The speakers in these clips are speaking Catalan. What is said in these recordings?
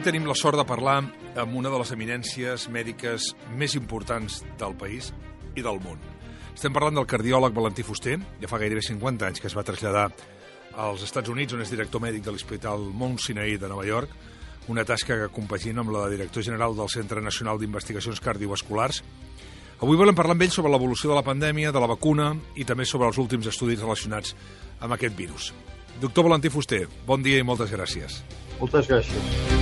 tenim la sort de parlar amb una de les eminències mèdiques més importants del país i del món. Estem parlant del cardiòleg Valentí Fuster. Ja fa gairebé 50 anys que es va traslladar als Estats Units, on és director mèdic de l'Hospital Mount Sinai de Nova York, una tasca que compagina amb la de director general del Centre Nacional d'Investigacions Cardiovasculars. Avui volem parlar amb ell sobre l'evolució de la pandèmia, de la vacuna i també sobre els últims estudis relacionats amb aquest virus. Doctor Valentí Fuster, bon dia i moltes gràcies. Moltes gràcies.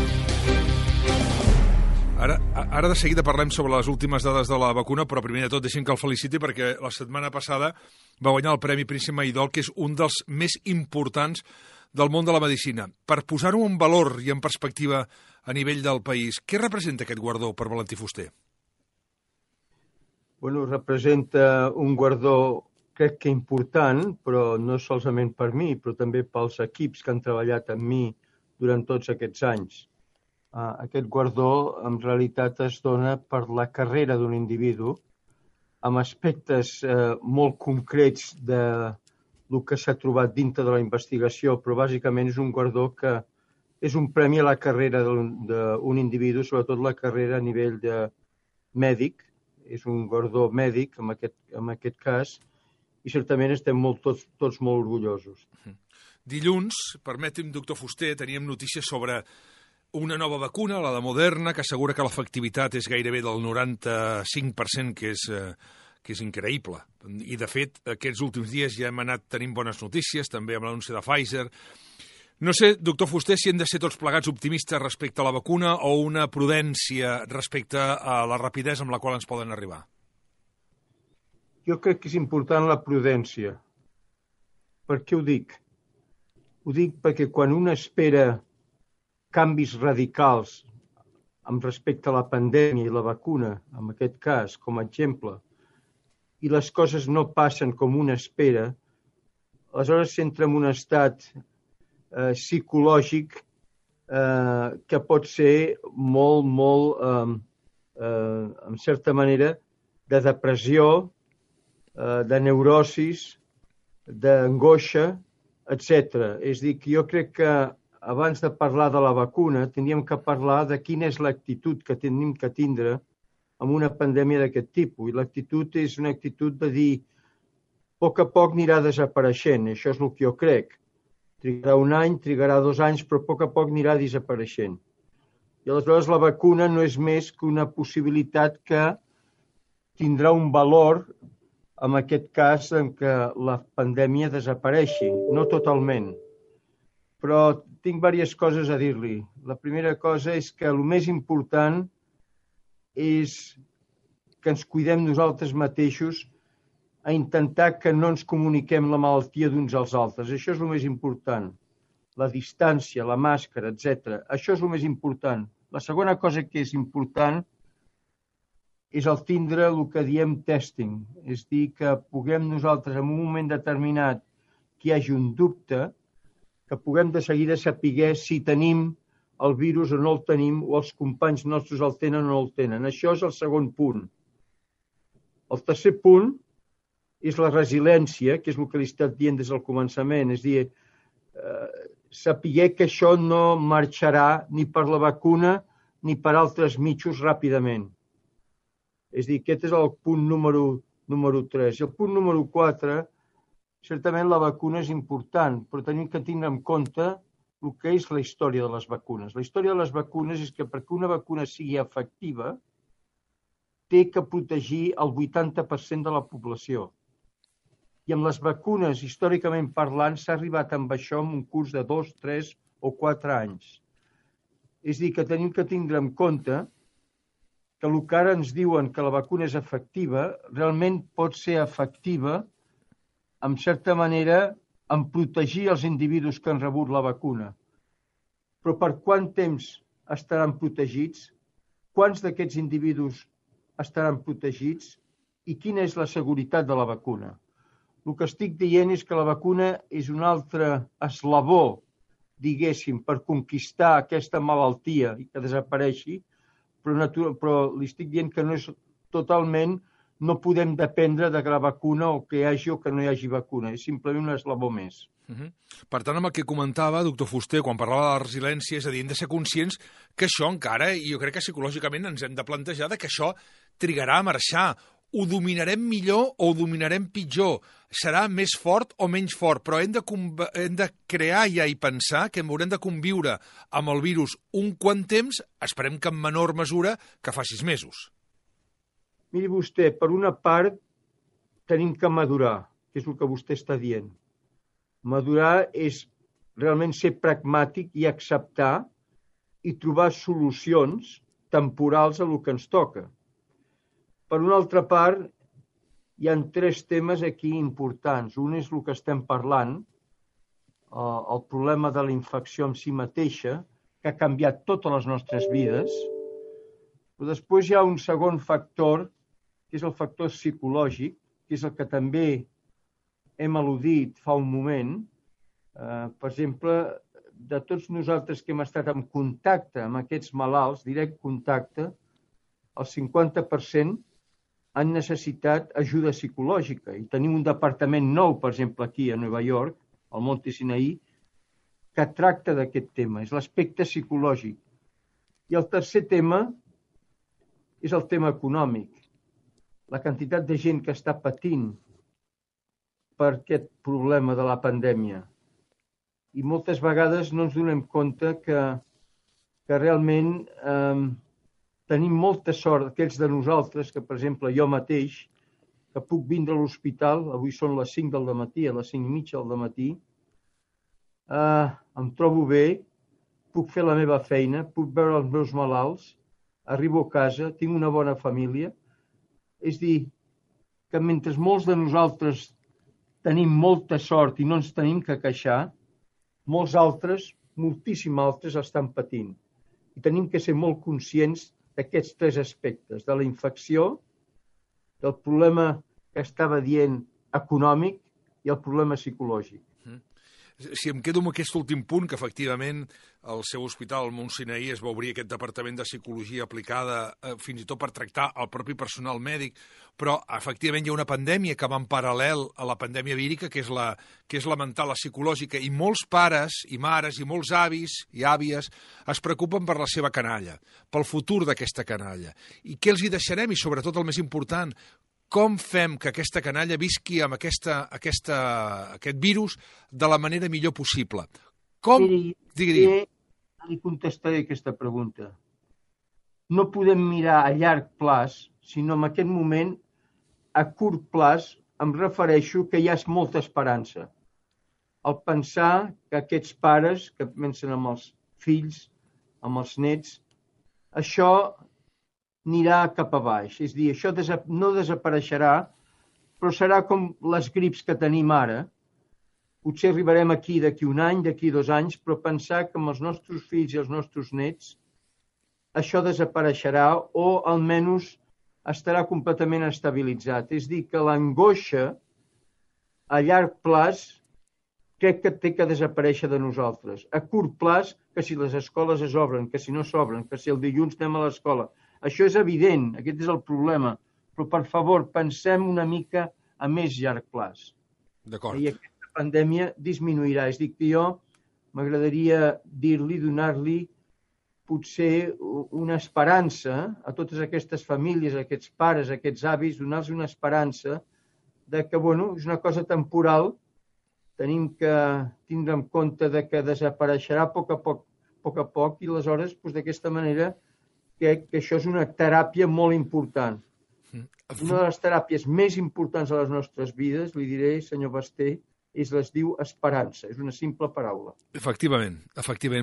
Ara de seguida parlem sobre les últimes dades de la vacuna, però primer de tot deixem que el feliciti perquè la setmana passada va guanyar el Premi Príncep Maidol, que és un dels més importants del món de la medicina. Per posar-ho en valor i en perspectiva a nivell del país, què representa aquest guardó per Valentí Fuster? Bueno, representa un guardó, crec que important, però no solament per mi, però també pels equips que han treballat amb mi durant tots aquests anys. Aquest guardó en realitat es dona per la carrera d'un individu amb aspectes molt concrets del que s'ha trobat dintre de la investigació, però bàsicament és un guardó que és un premi a la carrera d'un individu, sobretot la carrera a nivell de mèdic. És un guardó mèdic en aquest cas i certament estem tots molt orgullosos. Dilluns, permeti'm, doctor Fuster, teníem notícies sobre una nova vacuna, la de Moderna, que assegura que l'efectivitat és gairebé del 95%, que és increïble. I, de fet, aquests últims dies ja hem anat tenint bones notícies, també amb l'anunci de Pfizer. No sé, doctor Fuster, si hem de ser tots plegats optimistes respecte a la vacuna o una prudència respecte a la rapidesa amb la qual ens poden arribar. Jo crec que és important la prudència. Per què ho dic? Ho dic perquè quan un espera canvis radicals amb respecte a la pandèmia i la vacuna, en aquest cas, com a exemple, i les coses no passen com un espera, aleshores s'entra en un estat psicològic que pot ser molt, en certa manera, de depressió, de neurosis, d'angoixa, etc. És a dir, que jo crec que abans de parlar de la vacuna, tindríem que parlar de quina és l'actitud que tenim que tindre en una pandèmia d'aquest tipus. I l'actitud és una actitud de dir a poc anirà desapareixent. Això és el que jo crec. Trigarà un any, trigarà 2 anys, però a poc anirà desapareixent. I aleshores la vacuna no és més que una possibilitat que tindrà un valor, en aquest cas, en què la pandèmia desapareixi. No totalment. Però tinc diverses coses a dir-li. La primera cosa és que el més important és que ens cuidem nosaltres mateixos a intentar que no ens comuniquem la malaltia d'uns als altres. Això és el més important. La distància, la màscara, etc. Això és el més important. La segona cosa que és important és el tindre el que diem testing. És dir, que puguem nosaltres en un moment determinat que hi hagi un dubte, que puguem de seguida saber si tenim el virus o no el tenim, o els companys nostres el tenen o no el tenen. Això és el segon punt. El tercer punt és la resiliència, que és el que li he estat dient des del començament. És a dir, saber que això no marxarà ni per la vacuna ni per altres mitjos ràpidament. És a dir, aquest és el punt número 3. I el punt número 4, certament la vacuna és important, però tenim que tindre en compte el que és la història de les vacunes. La història de les vacunes és que perquè una vacuna sigui efectiva, té que protegir el 80% de la població. I amb les vacunes, històricament parlant, s'ha arribat amb això en un curs de 2, 3 o 4 anys. És a dir, que tenim que tindre en compte que el que ara ens diuen que la vacuna és efectiva, realment pot ser efectiva en certa manera, en protegir els individus que han rebut la vacuna. Però per quant temps estaran protegits? Quants d'aquests individus estaran protegits? I quina és la seguretat de la vacuna? El que estic dient és que la vacuna és un altre eslabó, diguéssim, per conquistar aquesta malaltia i que desapareixi, però li estic dient que no és totalment no podem dependre de la vacuna o que hi hagi o que no hi hagi vacuna. És simplement un eslabó més. Per tant, amb el que comentava, doctor Fuster, quan parlava de la resiliència, és a dir, hem de ser conscients que això encara, i jo crec que psicològicament ens hem de plantejar que això trigarà a marxar. Ho dominarem millor o ho dominarem pitjor? Serà més fort o menys fort? Però hem de crear ja i pensar que haurem de conviure amb el virus un quant temps, esperem que en menor mesura, que fa 6 mesos. Miri vostè, per una part tenim que madurar, que és el que vostè està dient. Madurar és realment ser pragmàtic i acceptar i trobar solucions temporals a el que ens toca. Per una altra part, hi ha 3 temes aquí importants. Un és el que estem parlant, el problema de la infecció en si mateixa, que ha canviat totes les nostres vides. Però després hi ha un segon factor, que és el factor psicològic, que és el que també hem al·ludit fa un moment. Per exemple, de tots nosaltres que hem estat en contacte amb aquests malalts, direct contacte, el 50% han necessitat ajuda psicològica. I tenim un departament nou, per exemple, aquí a Nova York, al Monte Sinaí, que tracta d'aquest tema, és l'aspecte psicològic. I el tercer tema és el tema econòmic. La quantitat de gent que està patint per aquest problema de la pandèmia. I moltes vegades no ens donem compte que realment tenim molta sort, aquells de nosaltres, que per exemple jo mateix, que puc vindre a l'hospital, avui són les 5 del matí, a les 5:30 del matí, em trobo bé, puc fer la meva feina, puc veure els meus malalts, arribo a casa, tinc una bona família. És dir, que mentre molts de nosaltres tenim molta sort i no ens tenim que queixar, molts altres, moltíssims altres, estan patint. I tenim que ser molt conscients d'aquests 3 aspectes, de la infecció, del problema que estava dient econòmic i el problema psicològic. Si em quedo amb aquest últim punt, que efectivament al seu hospital, al Mont Sinaí, es va obrir aquest departament de psicologia aplicada fins i tot per tractar el propi personal mèdic, però efectivament hi ha una pandèmia que va en paral·lel a la pandèmia vírica, que és la mental, la psicològica, i molts pares i mares i molts avis i àvies es preocupen per la seva canalla, pel futur d'aquesta canalla. I què els hi deixarem? I sobretot el més important, com fem que aquesta canalla visqui amb aquest virus de la manera millor possible? Com? Digui. Li contestaré aquesta pregunta. No podem mirar a llarg plaç, sinó en aquest moment, a curt plaç, em refereixo que hi ha molta esperança. Al pensar que aquests pares que pensen amb els fills, amb els nets, això anirà cap a baix. És a dir, això no desapareixerà, però serà com les grips que tenim ara. Potser arribarem aquí d'aquí un any, d'aquí 2 anys, però pensar que amb els nostres fills i els nostres nets això desapareixerà o almenys estarà completament estabilitzat. És a dir, que l'angoixa a llarg plaç crec que té que desaparèixer de nosaltres. A curt plaç, que si les escoles es obren, que si no s'obren, que si el dilluns anem a l'escola. Això és evident, aquest és el problema. Però, per favor, pensem una mica a més llarg plaç. D'acord. I aquesta pandèmia disminuirà. És a dir, que jo m'agradaria dir-li, donar-li potser una esperança a totes aquestes famílies, a aquests pares, a aquests avis, donar-los una esperança de que, bueno, és una cosa temporal, tenim que tindre en compte de que desapareixerà a poc a poc i aleshores, d'aquesta manera, crec que això és una teràpia molt important. Una de les teràpies més importants de les nostres vides, li diré, senyor Basté, es diu esperança, és una simple paraula. Efectivament.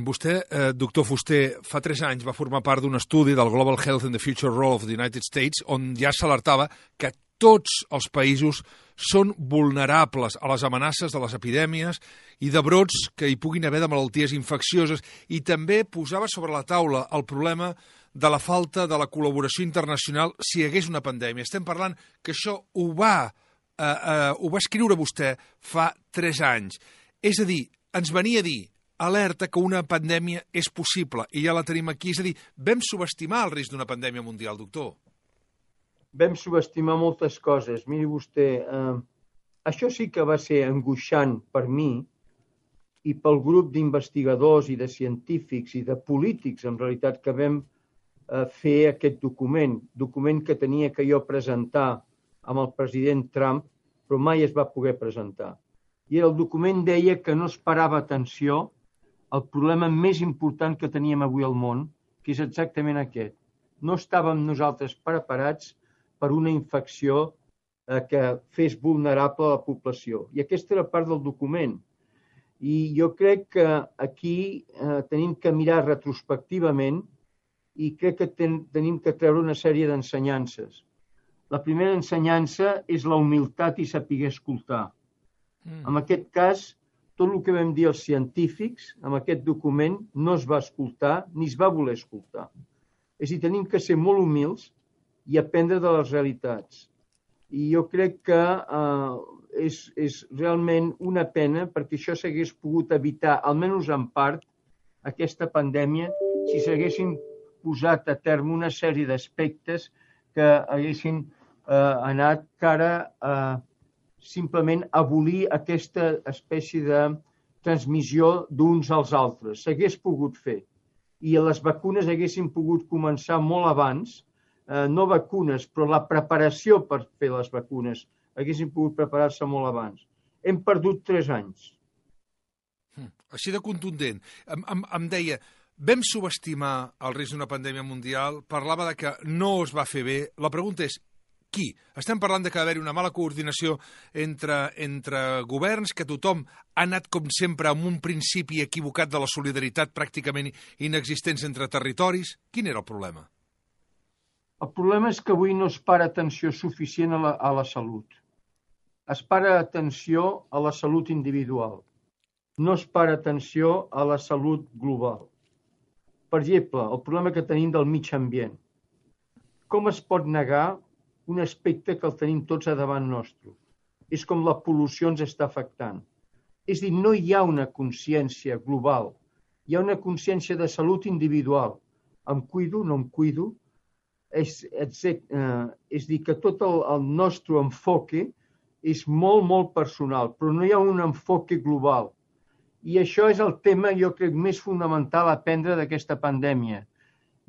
Vostè, doctor Fuster, fa 3 anys va formar part d'un estudi del Global Health and the Future Role of the United States on ja s'alertava que tots els països són vulnerables a les amenaces de les epidèmies i de brots que hi puguin haver de malalties infeccioses, i també posava sobre la taula el problema de la falta de la col·laboració internacional si hi hagués una pandèmia. Estem parlant que això ho va escriure vostè fa 3 anys. És a dir, ens venia a dir, alerta que una pandèmia és possible, i ja la tenim aquí. És a dir, vam subestimar el risc d'una pandèmia mundial, doctor. vam subestimar moltes coses. Miri vostè, això sí que va ser angoixant per mi i pel grup d'investigadors i de científics i de polítics, en realitat, que vam fer aquest document que tenia que jo presentar amb el president Trump, però mai es va poder presentar. I el document deia que no es parava atenció al problema més important que teníem avui al món, que és exactament aquest. No estàvem nosaltres preparats per una infecció que fes vulnerable a la població. I aquesta era part del document. I jo crec que aquí tenim que mirar retrospectivament i crec que tenim que treure una sèrie d'ensenyances. La primera ensenyança és la humilitat i saber escoltar. En aquest cas, tot el que vam dir els científics, amb aquest document, no es va escoltar ni es va voler escoltar. És a dir, tenim que ser molt humils i aprendre de les realitats. I jo crec que és realment una pena perquè això s'hagués pogut evitar, almenys en part, aquesta pandèmia, si s'haguessin posat a terme una sèrie d'aspectes que haguessin anat cara a simplement abolir aquesta espècie de transmissió d'uns als altres. S'hagués pogut fer. I les vacunes haguessin pogut començar molt abans, no vacunes, però la preparació per fer les vacunes haguessin pogut preparar-se molt abans. Hem perdut 3 anys. Així de contundent. Em deia, vam subestimar el risc d'una pandèmia mundial, parlava de que no es va fer bé. La pregunta és, qui? Estem parlant de que va haver-hi una mala coordinació entre governs, que tothom ha anat, com sempre, amb un principi equivocat de la solidaritat pràcticament inexistents entre territoris. Quin era el problema? El problema és que avui no es para atenció suficient a la salut. Es para atenció a la salut individual. No es para atenció a la salut global. Per exemple, el problema que tenim del mig ambient. Com es pot negar un aspecte que el tenim tots a davant nostre? És com la pol·lució ens està afectant. És a dir, no hi ha una consciència global. Hi ha una consciència de salut individual. Em cuido, no em cuido. És dir, que tot el nostre enfoque és molt, molt personal, però no hi ha un enfoque global. I això és el tema, jo crec, més fonamental a aprendre d'aquesta pandèmia.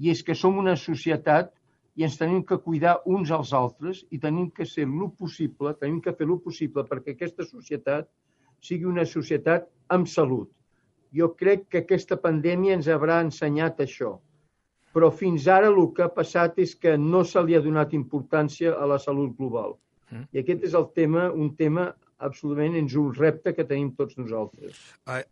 I és que som una societat i ens tenim que cuidar uns als altres i tenim que fer el possible perquè aquesta societat sigui una societat amb salut. Jo crec que aquesta pandèmia ens haurà ensenyat això. Però fins ara el que ha passat és que no se li ha donat importància a la salut global. I aquest és el tema, un tema absolutament és un repte que tenim tots nosaltres.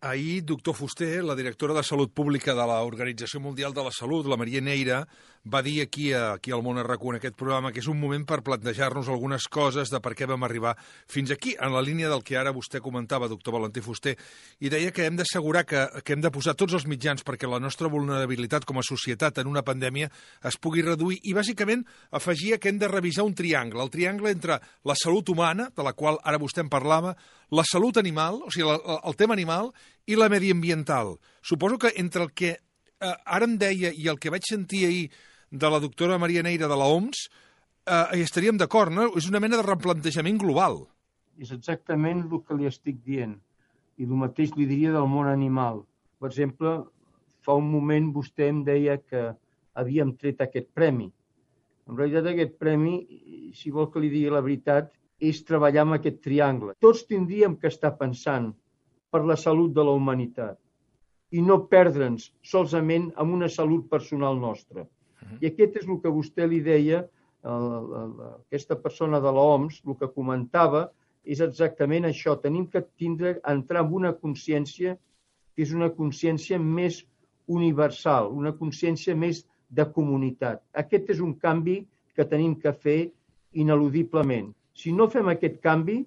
Ahir, doctor Fuster, la directora de Salut Pública de l'Organització Mundial de la Salut, la Maria Neira, va dir aquí al Món RQ en aquest programa que és un moment per plantejar-nos algunes coses de per què vam arribar fins aquí, en la línia del que ara vostè comentava, doctor Valentí Fuster, i deia que hem d'assegurar que hem de posar tots els mitjans perquè la nostra vulnerabilitat com a societat en una pandèmia es pugui reduir i, bàsicament, afegia que hem de revisar un triangle, el triangle entre la salut humana, de la qual ara vostè en parlava, la salut animal, o sigui, el tema animal, i la mediambiental. Suposo que entre el que ara em deia i el que vaig sentir ahir de la doctora Maria Neira de l'OMS, estaríem d'acord, no? És una mena de replantejament global. És exactament el que li estic dient. I el mateix li diria del món animal. Per exemple, fa un moment vostè em deia que havíem tret aquest premi. En realitat aquest premi, si vol que li digui la veritat, és treballar amb aquest triangle. Tots tindríem que estar pensant per la salut de la humanitat i no perdre'ns solament amb una salut personal nostra. I aquest és el que vostè li deia, aquesta persona de l'OMS, el que comentava és exactament això. Tenim que entrar en una consciència que és una consciència més universal, una consciència més de comunitat. Aquest és un canvi que tenim que fer ineludiblement. Si no fem aquest canvi,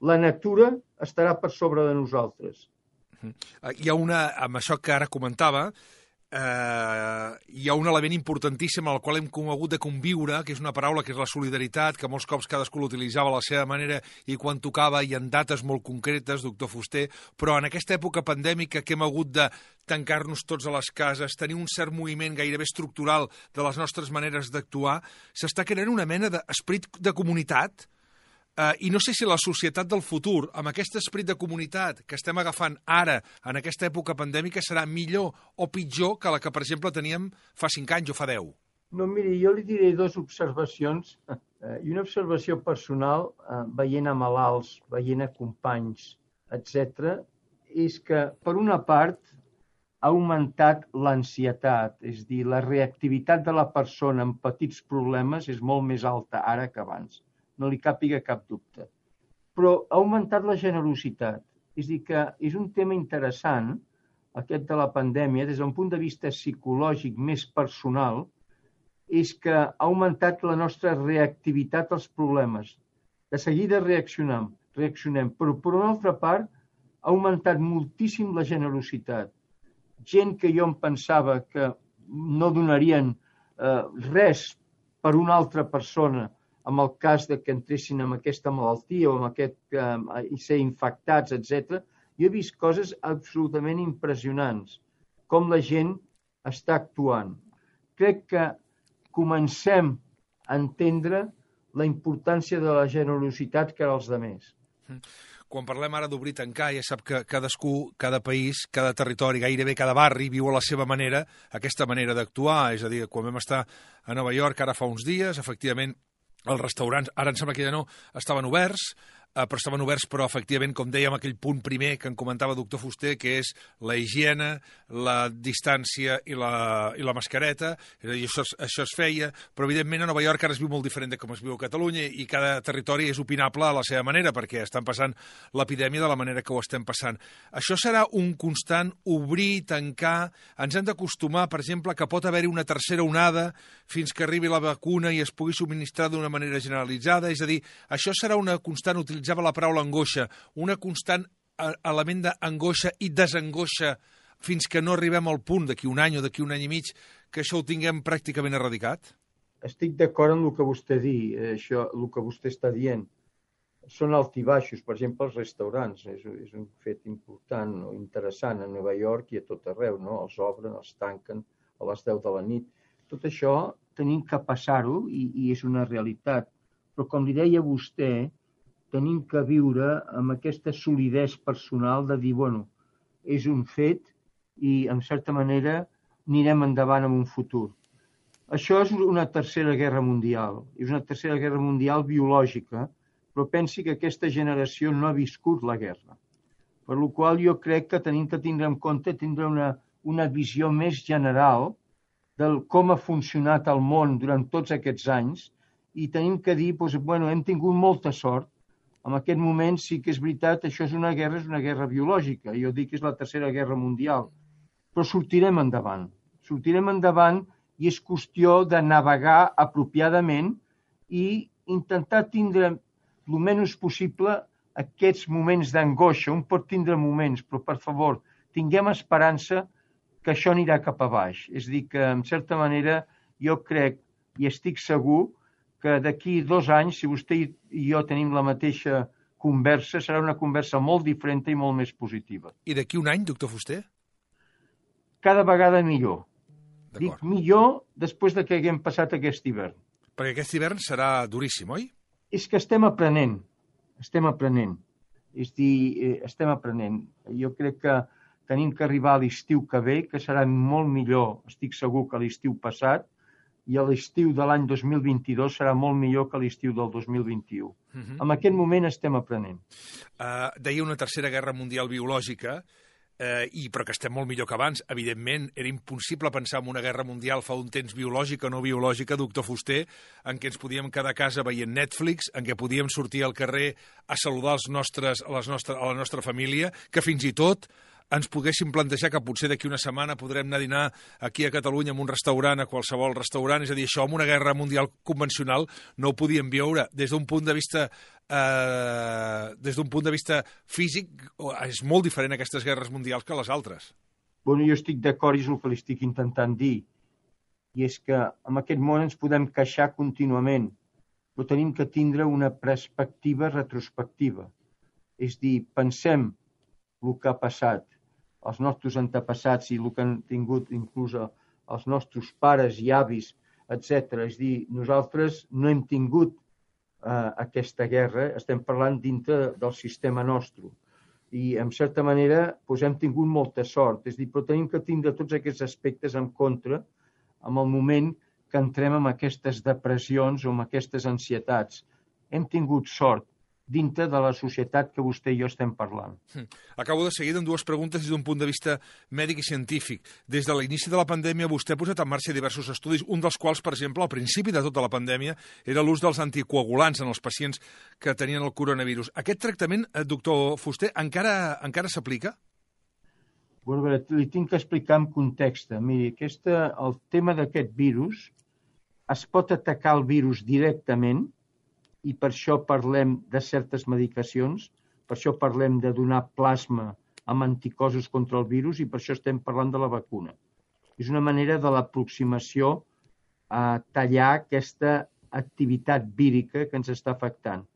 la natura estarà per sobre de nosaltres. Hi ha amb això que ara comentava, hi ha un element importantíssim al qual hem hagut de conviure, que és una paraula que és la solidaritat, que molts cops cadascú l'utilitzava a la seva manera i quan tocava i en dates molt concretes, doctor Fuster, però en aquesta època pandèmica que hem hagut de tancar-nos tots a les cases, tenir un cert moviment gairebé estructural de les nostres maneres d'actuar, s'està creant una mena d'esperit de comunitat. I no sé si la societat del futur, amb aquest esperit de comunitat que estem agafant ara, en aquesta època pandèmica, serà millor o pitjor que la que, per exemple, teníem fa 5 anys o fa 10. No, miri, jo li diré 2 observacions. I una observació personal, veient a malalts, veient a companys, etc., és que, per una part, ha augmentat l'ansietat, és a dir, la reactivitat de la persona en petits problemes és molt més alta ara que abans. No li càpiga cap dubte. Però ha augmentat la generositat. És a dir, que és un tema interessant, aquest de la pandèmia, des d'un punt de vista psicològic més personal, és que ha augmentat la nostra reactivitat als problemes. De seguida reaccionem, però per una altra part ha augmentat moltíssim la generositat. Gent que jo em pensava que no donarien res per una altra persona, en el cas de que entressin amb aquesta malaltia o amb i ser infectats, etc., jo he vist coses absolutament impressionants, com la gent està actuant. Crec que comencem a entendre la importància de la generositat que als altres. Quan parlem ara d'obrir i tancar, ja sap que cadascú, cada país, cada territori, gairebé cada barri, viu a la seva manera aquesta manera d'actuar. És a dir, quan vam estar a Nova York ara fa uns dies, efectivament, els restaurants, ara em sembla que ja no, estaven oberts, però efectivament, com dèiem, aquell punt primer que en comentava el doctor Fuster, que és la higiene, la distància i la mascareta, és a dir, això es feia, però evidentment a Nova York ara es viu molt diferent de com es viu a Catalunya i cada territori és opinable a la seva manera, perquè estan passant l'epidèmia de la manera que ho estem passant. Això serà un constant obrir, tancar, ens hem d'acostumar, per exemple, que pot haver-hi una tercera onada fins que arribi la vacuna i es pugui subministrar d'una manera generalitzada, és a dir, això serà una constant utilitzada la paraula angoixa, una constant element d'angoixa i desangoixa fins que no arribem al punt d'aquí un any o d'aquí un any i mig que això ho tinguem pràcticament erradicat? Estic d'acord amb el que vostè el que vostè està dient. Són altibaixos, per exemple, els restaurants. És un fet important o interessant a Nova York i a tot arreu, no? Els obren, els tanquen a les 10 de la nit. Tot això tenim que passar-ho i és una realitat. Però com li deia vostè, tenim que viure amb aquesta solidesa personal de dir, bueno, és un fet i, en certa manera, anirem endavant en un futur. Això és una tercera guerra mundial. És una tercera guerra mundial biològica, però pensi que aquesta generació no ha viscut la guerra. Per la qual jo crec que tenim que tindre en compte una visió més general de com ha funcionat el món durant tots aquests anys i tenim que dir, doncs, bueno, hem tingut molta sort. En aquest moment sí que és veritat, això és una guerra biològica. Jo dic que és la tercera guerra mundial. Però sortirem endavant. Sortirem endavant i és qüestió de navegar apropiadament i intentar tindre el menys possible aquests moments d'angoixa. Un pot tindre moments, però per favor, tinguem esperança que això anirà cap a baix. És a dir, que en certa manera jo crec i estic segur que d'aquí 2 anys, si vostè i jo tenim la mateixa conversa, serà una conversa molt diferent i molt més positiva. I d'aquí un any, doctor Fuster? Cada vegada millor. Dic millor després de que haguem passat aquest hivern. Perquè aquest hivern serà duríssim, oi? És que estem aprenent. És a dir, estem aprenent. Jo crec que tenim que arribar a l'estiu que ve, que serà molt millor, estic segur, que l'estiu passat, i a l'estiu de l'any 2022 serà molt millor que l'estiu del 2021. En aquest moment estem aprenent. Deia una tercera guerra mundial biològica, però que estem molt millor que abans. Evidentment, era impossible pensar en una guerra mundial fa un temps biològica o no biològica, doctor Fuster, en què ens podíem quedar a casa veient Netflix, en què podíem sortir al carrer a saludar a la nostra família, que fins i tot ens poguéssim plantejar que potser d'aquí una setmana podrem anar a dinar aquí a Catalunya en un restaurant, a qualsevol restaurant. És a dir, això amb una guerra mundial convencional no ho podíem veure. Des d'un punt de vista físic, és molt diferent aquestes guerres mundials que les altres. Bueno, jo estic d'acord i és el que li estic intentant dir. I és que en aquest món ens podem queixar contínuament, però tenim que tindre una perspectiva retrospectiva. És dir, pensem el que ha passat, els nostres antepassats i el que han tingut inclús els nostres pares i avis, etc. És dir, nosaltres no hem tingut aquesta guerra, estem parlant dintre del sistema nostre. I, en certa manera, hem tingut molta sort. És dir, però tenim que tindre tots aquests aspectes en contra en el moment que entrem en aquestes depressions o en aquestes ansietats. Hem tingut sort dintre de la societat que vostè i jo estem parlant. Acabo de seguir amb dues preguntes des d'un punt de vista mèdic i científic. Des de l'inici de la pandèmia vostè ha posat en marxa diversos estudis, un dels quals, per exemple, al principi de tota la pandèmia, era l'ús dels anticoagulants en els pacients que tenien el coronavirus. Aquest tractament, doctor Fuster, encara s'aplica? Bueno, li tinc que explicar en context. Miri, el tema d'aquest virus es pot atacar el virus directament i per això parlem de certes medicacions, per això parlem de donar plasma amb anticossos contra el virus i per això estem parlant de la vacuna. És una manera de l'aproximació a tallar aquesta activitat vírica que ens està afectant.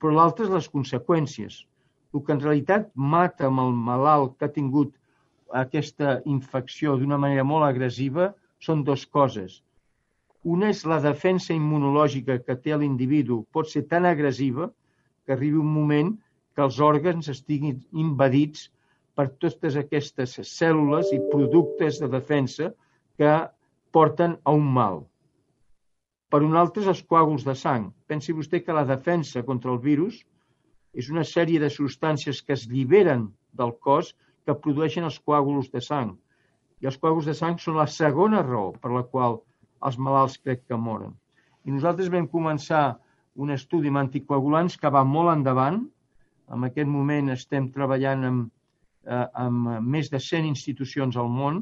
Però l'altre és les conseqüències. El que en realitat mata amb el malalt que ha tingut aquesta infecció d'una manera molt agressiva són dues coses. Una és la defensa immunològica que té l'individu, pot ser tan agressiva que arribi un moment que els òrgans estiguin invadits per totes aquestes cèl·lules i productes de defensa que porten a un mal. Per un altre, els coàguls de sang. Pensi vostè que la defensa contra el virus és una sèrie de substàncies que es lliberen del cos que produeixen els coàguls de sang. I els coàguls de sang són la segona raó per la qual els malalts crec que moren. I nosaltres vam començar un estudi amb anticoagulants que va molt endavant. En aquest moment estem treballant amb més de 100 institucions al món,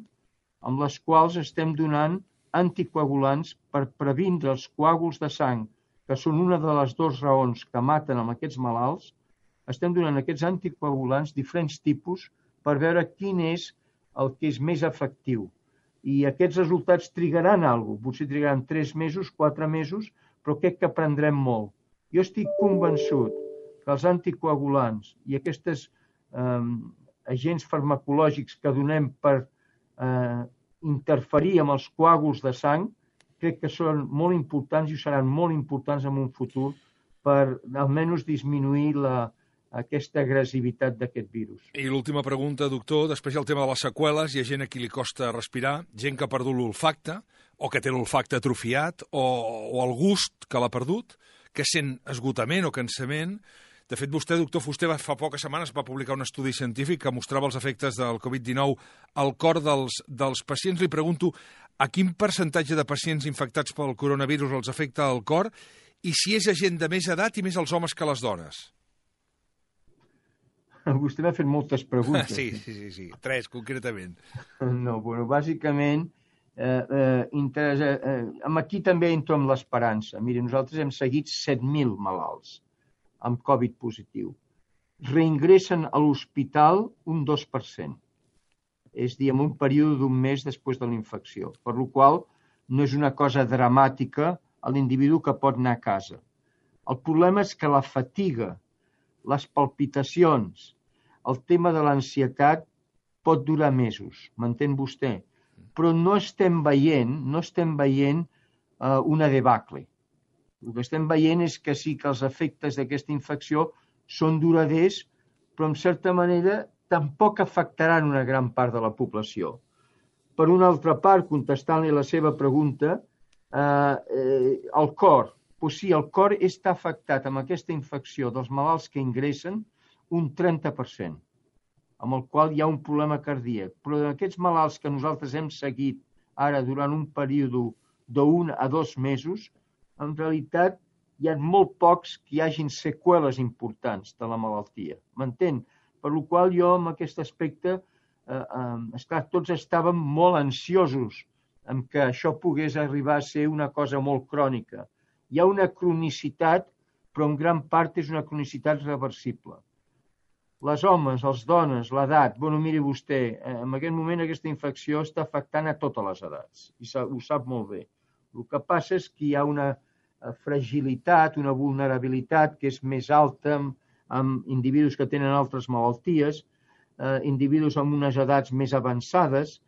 amb les quals estem donant anticoagulants per previndre els coàguls de sang, que són una de les dues raons que maten amb aquests malalts. Estem donant aquests anticoagulants, diferents tipus, per veure quin és el que és més efectiu. I aquests resultats trigaran alguna cosa, potser trigaran 3 mesos, 4 mesos, però crec que aprendrem molt. Jo estic convençut que els anticoagulants i aquests agents farmacològics que donem per interferir amb els coàguls de sang, crec que són molt importants i seran molt importants en un futur per almenys disminuir aquesta agressivitat d'aquest virus. I l'última pregunta, doctor, després hi ha el tema de les seqüeles, hi ha gent a qui li costa respirar, gent que ha perdut l'olfacte, o que té l'olfacte atrofiat, o el gust que l'ha perdut, que sent esgotament o cansament. De fet, vostè, doctor Fuster, fa poques setmanes va publicar un estudi científic que mostrava els efectes del Covid-19 al cor dels pacients. Li pregunto a quin percentatge de pacients infectats pel coronavirus els afecta el cor i si és a gent de més edat i més els homes que les dones. Vostè m'ha fet moltes preguntes. Sí. 3, concretament. No, bueno, bàsicament, aquí també entro amb l'esperança. Miri, nosaltres hem seguit 7.000 malalts amb Covid positiu. Reingressen a l'hospital un 2%. És a dir, en un període d'un mes després de la infecció. Per la qual no és una cosa dramàtica a l'individu que pot anar a casa. El problema és que la fatiga, les palpitacions, el tema de l'ansietat pot durar mesos, m'entén vostè? Però no estem veient una debacle. El que estem veient és que sí que els efectes d'aquesta infecció són duraders, però en certa manera tampoc afectaran una gran part de la població. Per una altra part, contestant-li la seva pregunta, el cor. Doncs sí, el cor està afectat amb aquesta infecció dels malalts que ingressen un 30%, amb el qual hi ha un problema cardíac. Però d'aquests malalts que nosaltres hem seguit ara durant un període d'1 a 2 mesos, en realitat hi ha molt pocs que hi hagin seqüeles importants de la malaltia. M'entén? Per la qual jo, en aquest aspecte, esclar, tots estàvem molt ansiosos en que això pogués arribar a ser una cosa molt crònica. Hi ha una cronicitat, però en gran part és una cronicitat reversible. les homes, les dones, l'edat, bueno, miri vostè, en aquest moment aquesta infecció està afectant a totes les edats, i ho sap molt bé. El que passa és que hi ha una fragilitat, una vulnerabilitat que és més alta amb individus que tenen altres malalties, individus amb unes edats més avançades,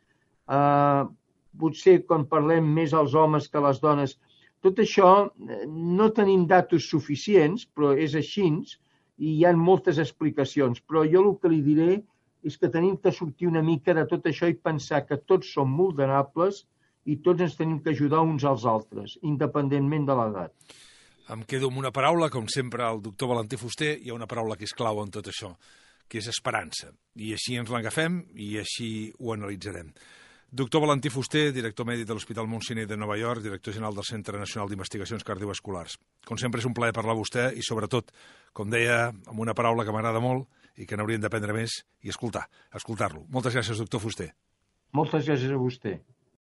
potser quan parlem més als homes que a les dones. Tot això no tenim datos suficients, però és així, i hi ha moltes explicacions. Però jo el que li diré és que tenim que sortir una mica de tot això i pensar que tots som vulnerables i tots ens tenim que ajudar uns als altres, independentment de l'edat. Em quedo amb una paraula, com sempre, el doctor Valentí Fuster, hi ha una paraula que és clau en tot això, que és esperança. I així ens l'agafem i així ho analitzarem. Doctor Valentí Fuster, director mèdic de l'Hospital Mount Sinai de Nova York, director general del Centre Nacional d'Investigacions Cardiovasculars. Com sempre, és un plaer parlar amb vostè i, sobretot, com deia, amb una paraula que m'agrada molt i que n'hauríem d'aprendre més i escoltar-lo. Moltes gràcies, doctor Fuster. Moltes gràcies a vostè.